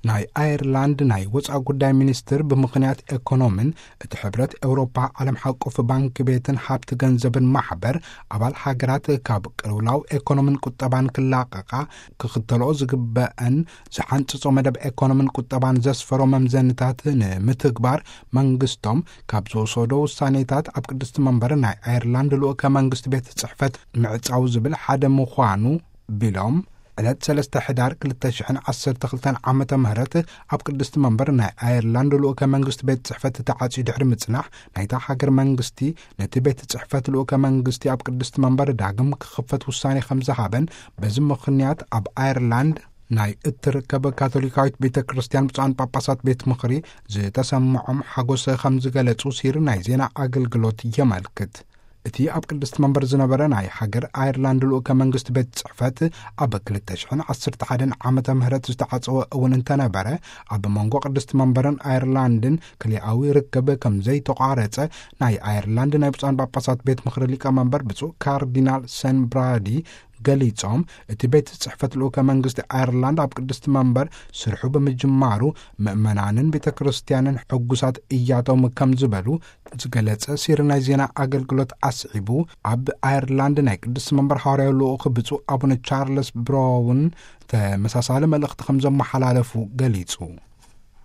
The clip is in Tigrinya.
ናይ ኣየርላንድ ናይ ወፃኢ ጉዳይ ሚኒስትር፣ ብምኽንያት ኤኮኖሚን እቲ ሕብረት ኤውሮፓ ዓለም ሓቆፍ ባንክ ቤትን ሃብቲ ገንዘብን ማሕበር ኣባል ሃገራት ካብ ቅልውላው ኤኮኖሚን ቁጠባን ክላቐቓ፣ ክኽተልኦ ዝግበአን ዝሓንፅጾ መደብ ኤኮኖሚን ቁጠባን ዘስፈሮ መምዘንታት ንምትግባር መንግስቶም ካብ ዝወሰዶ ውሳኔታት፣ ኣብ ቅድስቲ መንበር ናይ ኣየርላንድ ልኡከ መንግስቲ ቤት ጽሕፈት ምዕጻው ዝብል ሓደ ምዃኑ ቢሎም፣ ዕለት ሰለስተ ሕዳር ክልተ ሽሕን ዓሰርተ ክልተን ዓመተ ምህረት ኣብ ቅድስቲ መንበር ናይ ኣየርላንድ ልኡከ መንግስቲ ቤት ጽሕፈት ተዓጽዩ ድሕሪ ምጽናሕ፣ ናይታ ሃገር መንግስቲ ነቲ ቤት ጽሕፈት ልኡከ መንግስቲ ኣብ ቅድስቲ መንበር ዳግም ክኽፈት ውሳኔ ከም ዝሃበን፣ በዚ ምኽንያት ኣብ ኣየርላንድ ናይ እትርከብ ካቶሊካዊት ቤተ ክርስቲያን ብፁዓን ጳጳሳት ቤት ምኽሪ ዝተሰምዖም ሓጎስ ከም ዝገለጹ ሲሪ ናይ ዜና ኣገልግሎት የመልክት። እቲ ኣብ ቅድስቲ መንበር ዝነበረ ናይ ሃገር ኣየርላንድ ልኡከ መንግስቲ ቤት ጽሕፈት፣ ኣብ ክልተ ሽሕን ዓሰርተ ሓደን ዓመተ ምህረት ዝተዓጸወ እውን እንተነበረ፣ ኣብ መንጎ ቅድስቲ መንበርን ኣየርላንድን ክልኣዊ ርክብ ከም ዘይተቋረጸ ናይ ኣየርላንድ ናይ ብፁዓን ጳጳሳት ቤት ምኽሪ ሊቀ መንበር ብፁዕ ካርዲናል ሰን ብራዲ ገሊጾም፣ እቲ ቤት ጽሕፈት ልኡከ መንግስቲ ኣየርላንድ ኣብ ቅድስቲ መንበር ስርሑ ብምጅማሩ ምእመናንን ቤተ ክርስቲያንን ሕጉሳት እያቶም ከም ዝበሉ ዝገለጸ ሲሪ ናይ ዜና ኣገልግሎት ኣስዒቡ፣ ኣብ ኣየርላንድ ናይ ቅድስቲ መንበር ሃዋርያዊ ልኡኽ ብፁዕ ኣቡነ ቻርለስ ብራውን ተመሳሳሊ መልእኽቲ ከም ዘመሓላለፉ ገሊጹ።